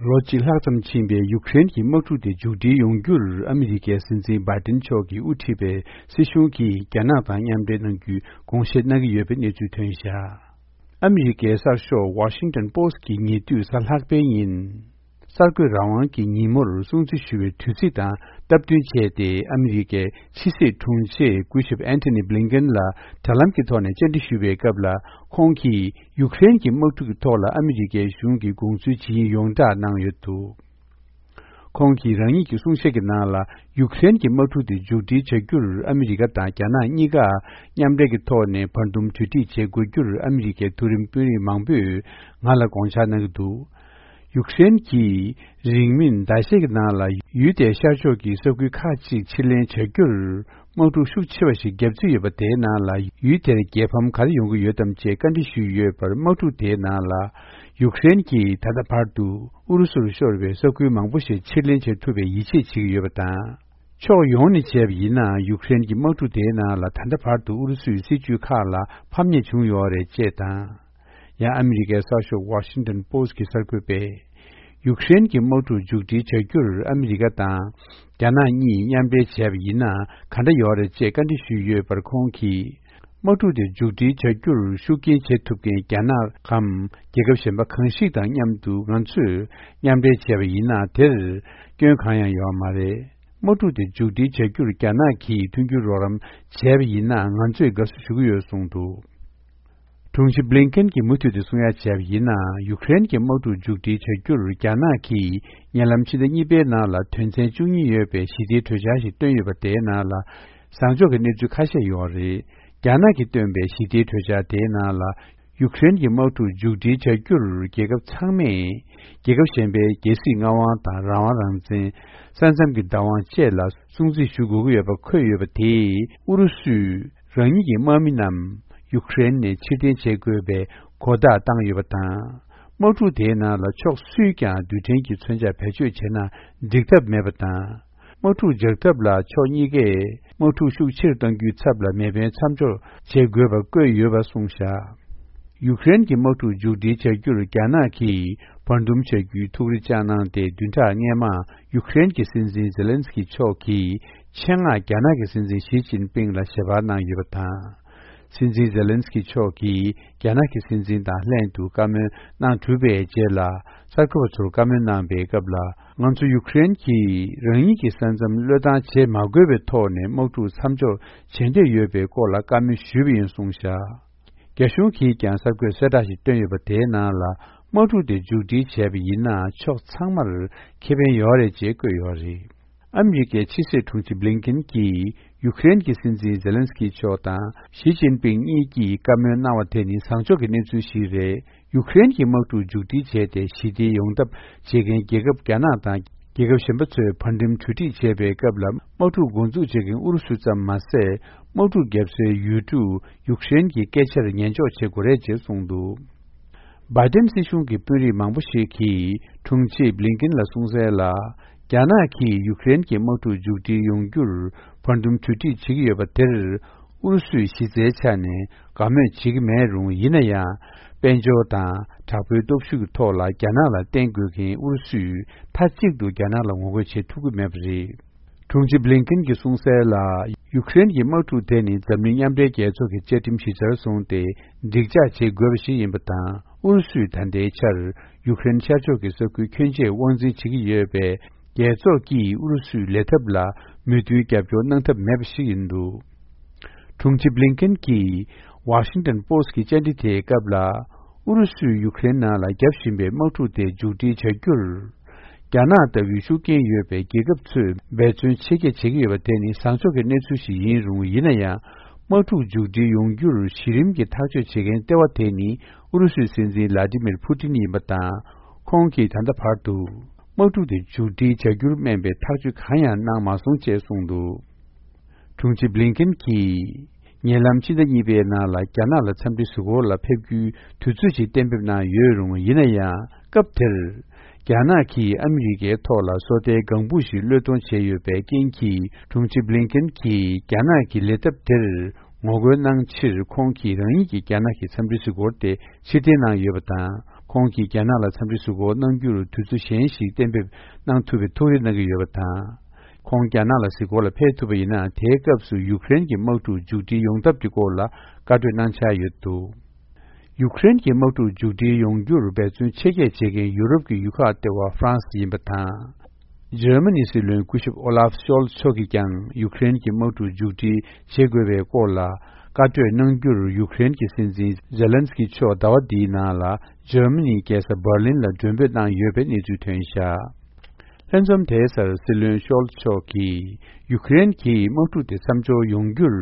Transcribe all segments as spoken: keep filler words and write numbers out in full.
ལོ་གཅིག་ལྷག་ཙམ་ཕྱིན་པའི་ཡུཀ་རེན་གྱི་དམག་འཁྲུག་དེ་མཇུག་སྒྲིལ་ཡོང་རྒྱུར་ཨ་མི་རི་ཀའི་སྲིད་འཛིན་བྷའི་ཏིན་མཆོག་གིས་དབུ་ཁྲིད་པའི་སྲིད་གཞུང་གིས་རྒྱ་ནག་དང་མཉམ་འབྲེལ་གནང་རྒྱུའི་དགོངས་བཞེས་གནང་གི་ཡོད་པའི་གནས་ཚུལ་ཐོན་བཞག་ཨ་མི་རི་ཀའི་གསར་ཤོག་Washington Post་གིས་ཉེ་དུས་གཟའ་ལྷག་པའི་ཉིན། གསར་འགོད་རང་དབང་གི་ཉིན་མོར་སྲུང་བརྩི་ཞུ་བའི་དུས་ཚིགས་དང་སྟབས་བསྟུན་བྱས་ཏེ། ཨ་མི་རི་ཀའི་ཕྱི་སྲིད་དྲུང་ཆེ་སྐུ་ཞབས་ཨན་ཐོ་ནི་བྷི་ལིན་ཀེན་ལ་དྲ་ལམ་གྱི་ཐོག་ནས་བཅར་འདྲི་ཞུས་པའི་སྐབས་ལ། ཁོང་གིས་ཡུཀ་རེན་གྱི་དམག་འཁྲུག་གི་ཐོག་ལ་ཨ་མི་རི་ཀའི་གཞུང་གིས་དགོངས་ཚུལ་ཇི་ཡིན་ཡོངས་བསྒྲགས་གནང་ཡོད་འདུག་ཁོང་གིས་རང་ཉིད་ཀྱི་གསུང་བཤད་ཀྱི་ནང་ལ། ཡུཀ་རེན་གྱི་དམག་འཁྲུག་དེ་མཇུག་སྒྲིལ་བྱ་རྒྱུར་ཨ་མི་རི་ཀ་དང་རྒྱ་ནག་གཉིས་ཀ་མཉམ་འབྲེལ་གྱི་ཐོག་ནས་བར་འདུམ་གྲོས་འགྲིག་བྱེད་དགོས་རྒྱུར་ཨ་མི་རི་ཀའི་མཐོ་རིམ་དཔོན་རིགས་མང་པོས་ང་ལ་དགོངས་འཆར་གནང་གི་འདུག་ཡུཀ་རེན་གྱིས་རིང་མིན་ཟླ་ཤས་ཀྱི་ནང་ལ་ཡུལ་དེའི་ཤར་ཕྱོགས་ཀྱི་ས་ཁུལ་ཁག་ཅིག་ཕྱིར་ལེན་བྱ་རྒྱུར་དམག་འཁྲུག་ཤུགས་ཆེ་བ་ཞིག་བརྒྱབ་རྩིས་ཡོད་པ་དེའི་ནང་ལ། ཡུལ་དེར་རྒྱལ་ཕམ་ག་རེ་ཡོང་གི་ཡོད་དམ་ཅེས་བཀའ་འདྲི་ཞུས་ཡོད་པར། དམག་འཁྲུག་དེའི་ནང་ལ་ཡུཀ་རེན་གྱིས་ད་ལྟ་བར་དུ་ཨུ་རུ་སུར་ཤོར་བའི་ས་ཁུལ་མང་པོ་ཞིག་ཕྱིར་ལེན་བྱེད་ཐུབ་པའི་ཡིད་ཆེས་བྱེད་ཀྱི་ཡོད་པ་དང་། ཕྱོགས་ཡོངས་ནས་བྱས་པ་ཡིན་ན། ཡུཀ་རེན་གྱི་དམག་འཁྲུག་དེའི་ནང་ལ་ད་ལྟ་བར་དུ་ཨུ་རུ་སུའི་སྲིད་ཇུས་ཁག་ལ་ཕམ་ཉེས་བྱུང་ཡོད་རེད་ཅེས་དང་། ཡང་ཨ་མི་རི་ཀའི་གསར་ཤོག་Washington Post་གི་གསར་འགོད་པས། ཡུཀ་རེན་གྱི་དམག་འཁྲུག་མཇུག་སྒྲིལ་བྱ་རྒྱུར་ཨ་མི་རི་ཀ་དང་རྒྱ་ནག་གཉིས་མཉམ་འབྲེལ་བྱས་པ་ཡིན་ན་ག་འདྲ་ཡོད་རེད་ཅེས་བཀའ་འདྲི་ཞུས་ཡོད་པར། ཁོང་གིས། དམག་འཁྲུག་དེ་མཇུག་སྒྲིལ་བྱ་རྒྱུར་ཤུགས་རྐྱེན་བྱེད་ཐུབ་མཁན་རྒྱ་ནག་གམ། རྒྱལ་ཁབ་གཞན་པ་གང་ཞིག་དང་མཉམ་དུ་ང་ཚོས་མཉམ་འབྲེལ་བྱས་པ་ཡིན་ན། དེར་སྐྱོན་གང་ཡང་ཡོད་མ་རེད། དམག་འཁྲུག་དེ་མཇུག་སྒྲིལ་བྱ་རྒྱུར་རྒྱ་ནག་གིས་མཐུན་འགྱུར་རོགས་རམ་བྱས་པ་ཡིན་ན། ང་ཚོས་དགའ་བསུ་ཞུ་གི་ཡོད་གསུངས་འདུག་དྲུང་ཆེ་བྷི་ལིན་ཀེན་གྱིས་མུ་མཐུད་དུ་གསུང་ཡ་བྱས་པ་ཡིན་ན། ཡུཀ་རེན་གྱི་དམག་འཁྲུག་མཇུག་སྒྲིལ་བྱ་རྒྱུར་རྒྱ་ནག་གིས་ཉེ་ལམ་ཕྱི་ཟླ་གཉིས་པའི་ནང་ལ་དོན་ཚན་བཅུ་གཉིས་ཡོད་པའི་ཞི་བདེའི་གྲོས་འཆར་ཞིག་བཏོན་ཡོད་པ། དེའི་ནང་ལ་བཟང་ཕྱོགས་ཀྱི་གནས་ཚུལ་ཁ་ཤས་ཡོད་རེད། རྒྱ་ནག་གིས་བཏོན་པའི་ཞི་བདེའི་གྲོས་འཆར་དེའི་ནང་ལ། ཡུཀ་རེན་གྱི་དམག་འཁྲུག་མཇུག་སྒྲིལ་བྱ་རྒྱུར་རྒྱལ་ཁབ་ཚང་མས་རྒྱལ་ཁབ་གཞན་པའི་རྒྱལ་སྲིད་མངའ་དབང་དང་། རང་དབང་རང་བཙན། ས་མཚམས་ཀྱི་བདག་དབང་བཅས་ལ་སྲུང་བརྩི་ཞུ་དགོས་ཀྱི་ཡོད་པ་འཁོད་ཡོད་པ། དེས་ཨུ་རུ་སུས་རང་ཉིད་ཀྱི་དམག་མི་རྣམས་ཡུཀ་རེན་ནས་ཕྱིར་འཐེན་བྱེད་དགོས་པའི་གོ་བརྡ་བཏང་ཡོད་པ་དང་། དམག་འཁྲུག་དེའི་ནང་ལ་ཕྱོགས་སུས་ཀྱང་རྡུལ་ཕྲན་གྱི་མཚོན་ཆ་བེད་སྤྱོད་བྱས་ན་འགྲིག་ཐབས་མེད་པ་དང་། དམག་འཁྲུག་འཇགས་ཐབས་ལ་ཕྱོགས་གཉིས་ཀས་དམག་འཁྲུག་ཤུགས་ཆེར་གཏོང་རྒྱུའི་ཚབ་ལ་མེ་འཕེན་མཚམས་འཇོག་བྱེད་དགོས་པ་བཀོད་ཡོད་པ་གསུངས་བཞག་ཡུཀ་རེན་གྱི་དམག་འཁྲུག་མཇུག་སྒྲིལ་བྱ་རྒྱུར་རྒྱ་ནག་གིས་བར་འདུམ་བྱ་རྒྱུའི་ཐུགས་རེ་བཅངས་གནང་སྟེ། བདུན་ཕྲག་སྔོན་མ་ཡུཀ་རེན་གྱི་སྲིད་འཛིན་ཛེ་ལན་སི་ཀི་མཆོག་གིས་ཆེད་མངགས་རྒྱ་ནག་གི་སྲིད་འཛིན་ཞི་ཅིན་ཕིང་ལ་ཞལ་པར་གནང་ཡོད་པ་དང་། སྲིད་འཛིན་ཛེ་ལན་སི་ཀི་མཆོག་གིས་རྒྱ་ནག་གི་སྲིད་འཛིན་དང་ལྷན་དུ་བཀའ་མོལ་གནང་གྲུབ་པའི་རྗེས་ལ། གསར་འགོད་པ་ཚོར་བཀའ་མོལ་གནང་པའི་སྐབས་ལ། ང་ཚོ་ཡུཀ་རེན་གྱིས་རང་ཉིད་ཀྱི་ས་མཚམས་བློས་བཏང་བྱེད་མ་དགོས་པའི་ཐོག་ནས་དམག་འཁྲུག་མཚམས་འཇོག་བྱེད་འདོད་ཡོད་པའི་སྐོར་ལ་བཀའ་མོལ་ཞུས་པ་ཡིན་གསུངས་བཞག་རྒྱ་གཞུང་གིས་ཀྱང་གསར་འགོད་གསལ་བསྒྲགས་ཤིག་བཏོན་ཡོད་པ། དེའི་ནང་ལ། དམག་འཁྲུག་དེ་མཇུག་སྒྲིལ་བྱས་པ་ཡིན་ན། ཕྱོགས་ཚང་མར་ཁེ་ཕན་ཡོད་རེད་ཅེས་བཀོད་ཡོད་རེད། ཨ་མི་རི་ཀའི་ཕྱི་སྲིད་དྲུང་ཆེ་བྷི་ལིན་ཀེན་གྱིས་ཡུཀ་རེན་གྱི་སྲིད་འཛིན་ཛེ་ལན་སི་ཀི་མཆོག་དང་ཞི་ཅིན་ཕིང་གཉིས་ཀྱིས་བཀའ་མོལ་གནང་བ་དེ་ནི་བཟང་ཕྱོགས་ཀྱི་གནས་ཚུལ་ཞིག་རེད། ཡུཀ་རེན་གྱི་དམག་འཁྲུག་མཇུག་སྒྲིལ་བྱས་ཏེ་ཞི་བདེ་ཡོང་ཐབས་བྱེད་མཁན་རྒྱལ་ཁབ་རྒྱ་ནག་དང་། རྒྱལ་ཁབ་གཞན་པ་ཚོས་བར་འདུམ་གྲོས་འགྲིག་བྱས་པའི་སྐབས་ལ། དམག་འཁྲུག་འགོ་འཛུགས་བྱེད་མཁན་ཨུ་རུ་སུ་ཙམ་མ་ཟད། དམག་འཁྲུག་བརྒྱབ་སའི་ཡུལ་གྲུ་ཡུཀ་རེན་གྱི་སྐད་ཆར་ཉན་འཇོག་བྱེད་དགོས་རེད་ཅེས་གསུངས་འདུག་བྷའི་ཏིན་སྲིད་གཞུང་གི་དཔོན་རིགས་མང་པོ་ཞིག་གིས་དྲུང་ཆེ་བྷི་ལིན་ཀེན་ལ་གསུངས་གསལ་ལ། རྒྱ་ནག་གིས་ཡུཀ་རེན་གྱི་དམག་འཁྲུག་མཇུག་སྒྲིལ་ཡོང་རྒྱུར་བར་འདུམ་གྲོས་འགྲིག་བྱེད་ཀྱི་ཡོད་པ་དེར། ཨུ་རུ་སུས་གཞི་རྩའི་ཆ་ནས་དགའ་མོས་བྱེད་ཀྱི་མེད་རུང་། ཡིན་ན་ཡང་། དཔལ་འབྱོར་དང་དྲག་པོའི་སྟོབས་ཤུགས་ཀྱི་ཐོག་ལ་རྒྱ་ནག་ལ་བརྟེན་དགོས་མཁན་ཨུ་རུ་སུས་མཐའ་གཅིག་ཏུ་རྒྱ་ནག་ལ་ངོ་རྒོལ་བྱེད་ཐུབ་ཀྱི་མེད་པ་རེད། དྲུང་ཆེ་བྷི་ལིན་ཀེན་གྱིས་གསུངས་གསལ་ལ། ཡུཀ་རེན་གྱི་དམག་འཁྲུག་དེ་ནི་འཛམ་གླིང་མཉམ་འབྲེལ་རྒྱལ་ཚོགས་ཀྱི་བཅའ་ཁྲིམས་གཞི་རྩར་བཟུང་སྟེ་འགྲིག་འཇགས་བྱེད་དགོས་པ་ཞིག་ཡིན་པ་དང་། ཨུ་རུ་སུས་ད་ལྟའི་ཆར་ཡུཀ་རེན་ཤར་ཕྱོགས་ཀྱི་ས་ཁུལ་ཁྱོན་ཆེ་དབང་འཛིན་བྱེད་ཀྱི་ཡོད་པས། རྒྱལ་ཚོགས་ཀྱིས་ཨུ་རུ་སུའི་ལས་ཐབས་ལ་མོས་མཐུན་རྒྱབ་སྐྱོར་གནང་ཐབས་མེད་པ་ཞིག་ཡིན་འདུག་དྲུང་ཆེ་བྷི་ལིན་ཀེན་གྱིས་Washington Post་གྱི་བཅར་འདྲི་དེའི་སྐབས་ལ། ཨུ་རུ་སུས་ཡུཀ་རེན་ནང་ལ་བརྒྱབ་བཞིན་པའི་དམག་འཁྲུག་དེ་མཇུག་སྒྲིལ་བྱ་རྒྱུར། རྒྱ་ནག་ལྟ་བུའི་ཤུགས་རྐྱེན་ཡོད་པའི་རྒྱལ་ཁབ་ཚོས་འབད་བརྩོན་ཆེ་བསྐྱེད་བྱེད་ཀྱི་ཡོད་པ་དེ་ནི་བཟང་ཕྱོགས་ཀྱི་གནས་ཚུལ་ཞིག་ཡིན་རུང་། ཡིན་ན་ཡང་། དམག་འཁྲུག་མཇུག་སྒྲིལ་ཡོང་རྒྱུར་གཞི་རིམ་གྱི་ཐག་གཅོད་བྱེད་མཁན་ལྟེ་བ་དེ་ནི་ཨུ་རུ་སུའི་སྲིད་འཛིན་ལ་ཏི་མིར་ཕུ་ཏིན་ཡིན་པ་དང་། ཁོང་གིས་ད་ལྟ་བར་དུ། དམག་འཁྲུག་དེ་མཇུག་སྒྲིལ་བྱ་རྒྱུར་སྨན་པའི་ཐག་གཅོད་གང་ཡང་གནང་མ་སོང་ཅེས་གསུངས་འདུག་དྲུང་ཆེ་བྷི་ལིན་ཀེན་གྱིས། ཉེ་ལམ་ཕྱི་ཟླ་གཉིས་པའི་ནང་ལ་རྒྱ་ནག་ལ་འཚམས་འདྲི་གཟིགས་སྐོར་ལ་ཕེབས་རྒྱུའི་དུས་ཚོད་ཅིག་གཏན་འབེབས་གནང་ཡོད་རུང་། ཡིན་ན་ཡང་། སྐབས་དེར། རྒྱ་ནག་གིས་ཨ་མི་རི་ཀའི་ཐོག་ལ་སོ་ལྟའི་ལྒང་བུ་ཞིག་བློས་གཏོང་བྱས་ཡོད་པའི་རྐྱེན་གྱིས། དྲུང་ཆེ་བྷི་ལིན་ཀེན་གྱིས་རྒྱ་ནག་གི་ལས་ཐབས་དེར་ངོ་རྒོལ་གནང་ཕྱིར། ཁོང་གིས་རང་ཉིད་ཀྱི་རྒྱ་ནག་གི་འཚམས་འདྲི་གཟིགས་སྐོར་དེ་ཕྱིར་འཐེན་གནང་ཡོད་པ་དང་། ཁོང་གིས་རྒྱ་ནག་ལ་འཚམས་འདྲི་གཟིགས་སྐོར་གནང་རྒྱུར་དུས་ཚོད་གཞན་ཞིག་གཏན་འབེབས་གནང་ཐུབ་པའི་ཐུགས་རེ་གནང་གི་ཡོད་པ་དང་། ཁོང་རྒྱ་ནག་ལ་གཟིགས་སྐོར་ལ་ཕེབས་ཐུབ་པ་ཡིན་ན། དེའི་སྐབས་སུ་ཡུཀ་རེན་གྱི་དམག་འཁྲུག་མཇུག་སྒྲིལ་ཡོང་ཐབས་ཀྱི་སྐོར་ལ་བཀའ་གྲོས་གནང་འཆར་ཡོད་འདུག་ཡུཀ་རེན་གྱི་དམག་འཁྲུག་མཇུག་སྒྲིལ་ཡོང་རྒྱུར་འབད་བརྩོན་ཆེ་བསྐྱེད་བྱེད་མཁན་ཡུ་རོབ་ཀྱི་ཡུལ་ཁག་ལྟེ་བ་ཧྥ་རན་སི་ཡིན་པ་དང་། འཇར་མ་ནིའི་སྲིད་བློན་སྐུ་ཞབས་ཨོ་ལཱབ་ཤོལ་ཚ་མཆོག་གིས་ཀྱང་ཡུཀ་རེན་གྱི་དམག་འཁྲུག་མཇུག་སྒྲིལ་བྱེད་དགོས་པའི་སྐོར་ལ་བཀའ་གྲོས་གནང་རྒྱུར་ཡུཀ་རེན་གྱི་སྲིད་འཛིན་ཛེ་ལན་སི་ཀི་མཆོག་ཟླ་བ་འདིའི་ནང་ལ་འཇར་མ་ནིའི་རྒྱལ་ས་འབར་ལིན་ལ་མགྲོན་འབོད་གནང་ཡོད་པའི་གནས་ཚུལ་ཐོན་བཞག་ལྷན་འཛོམས་དེའི་སར་སྲིད་བློན་ཤོལ་ཚ་མཆོག་གིས་ཡུཀ་རེན་གྱི་དམག་འཁྲུག་དེ་མཚམས་འཇོག་ཡོང་རྒྱུར།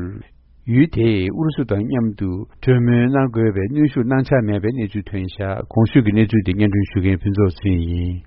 ཡུལ་དེས་ཨུ་རུ་སུ་དང་མཉམ་དུ་གྲོས་མོལ་གནང་དགོས་པའི་གནོན་ཤུགས་གནང་འཆར་མེད་པའི་གནས་ཚུལ་ཐོན་བཞག་གོང་ཞུས་ཀྱི་གནས་ཚུལ་དེ་སྙན་སྒྲོན་ཞུ་མཁན་ཕུན་ཚོགས་ཚེ་རིང་ཡིན།